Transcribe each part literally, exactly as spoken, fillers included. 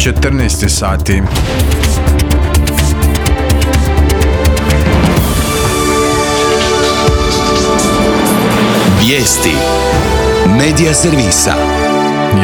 četrnaest sati. Vijesti Medija servisa.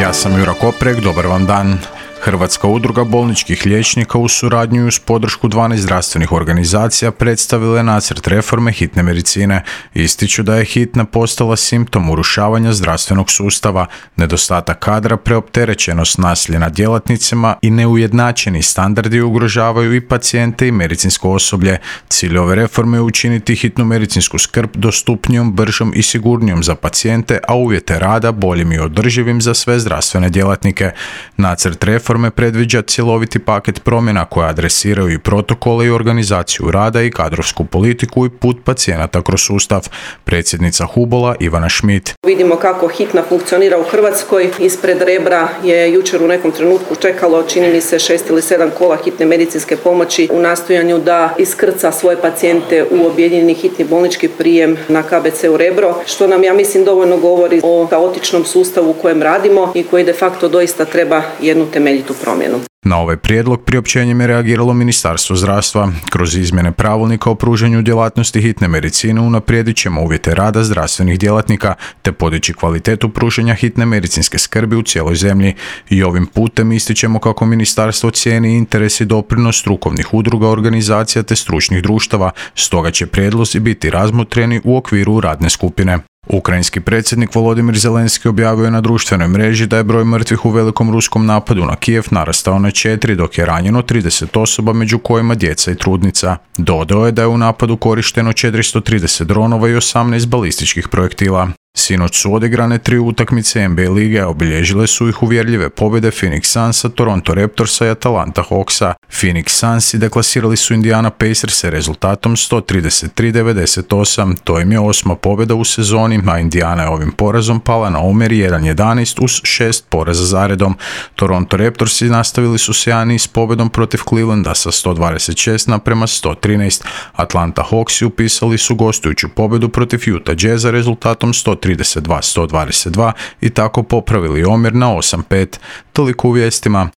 Ja sam Jura Koprek, dobar vam dan. Hrvatska udruga bolničkih liječnika u suradnju uz podršku dvanaest zdravstvenih organizacija predstavila je nacrt reforme hitne medicine. Ističu da je hitna postala simptom urušavanja zdravstvenog sustava, nedostatak kadra, preopterećenost nasilja nad djelatnicima i neujednačeni standardi ugrožavaju i pacijente i medicinsko osoblje. Cilj ove reforme je učiniti hitnu medicinsku skrb dostupnijom, bržom i sigurnijom za pacijente, a uvjete rada boljim i održivim za sve zdravstvene djelatnike. Nacrt reforme predviđa cjeloviti paket promjena koje adresiraju i protokole i organizaciju rada i kadrovsku politiku i put pacijenata kroz sustav. Predsjednica Hubola Ivana Šmit. Vidimo kako hitna funkcionira u Hrvatskoj. Ispred Rebra je jučer u nekom trenutku čekalo, čini mi se, šest ili sedam kola hitne medicinske pomoći u nastojanju da iskrca svoje pacijente u objedinjeni hitni bolnički prijem na K B C-u Rebro, što nam, ja mislim, dovoljno govori o kaotičnom sustavu u kojem radimo i koji de facto doista treba jednu temeljitu promjenu. Na ovaj prijedlog priopćenjem je reagiralo Ministarstvo zdravstva. Kroz izmjene pravilnika o pružanju djelatnosti hitne medicine unaprijedit ćemo uvjete rada zdravstvenih djelatnika te podići kvalitetu pružanja hitne medicinske skrbi u cijeloj zemlji. I ovim putem ističemo kako ministarstvo cijeni interes i doprinos strukovnih udruga, organizacija te stručnih društava, stoga će prijedlozi biti razmotreni u okviru radne skupine. Ukrajinski predsjednik Volodimir Zelenski objavio je na društvenoj mreži da je broj mrtvih u velikom ruskom napadu na Kijev narastao na četiri, dok je ranjeno trideset osoba, među kojima djeca i trudnica. Dodao je da je u napadu korišteno četiristo trideset dronova i osamnaest balističkih projektila. Sinoć su odigrane tri utakmice N B A lige, a obilježile su ih uvjerljive pobjede Phoenix Sunsa, Toronto Raptorsa i Atalanta Hawksa. Phoenix Sunsi deklasirali su Indiana Pacers rezultatom sto trideset tri devedeset osam. To im je osma pobjeda u sezoni, a Indiana je ovim porazom pala na omjer jedan jedanaest uz šest poraza zaredom. Toronto Raptorsi nastavili su sjajni s pobjedom protiv Clevelanda sa sto dvadeset šest naprema sto trinaest. Atlanta Hawksi upisali su gostujuću pobjedu protiv Utah Jazza rezultatom sto trideset dva sto dvadeset dva i tako popravili omjer na osam pet. Toliko u vijestima.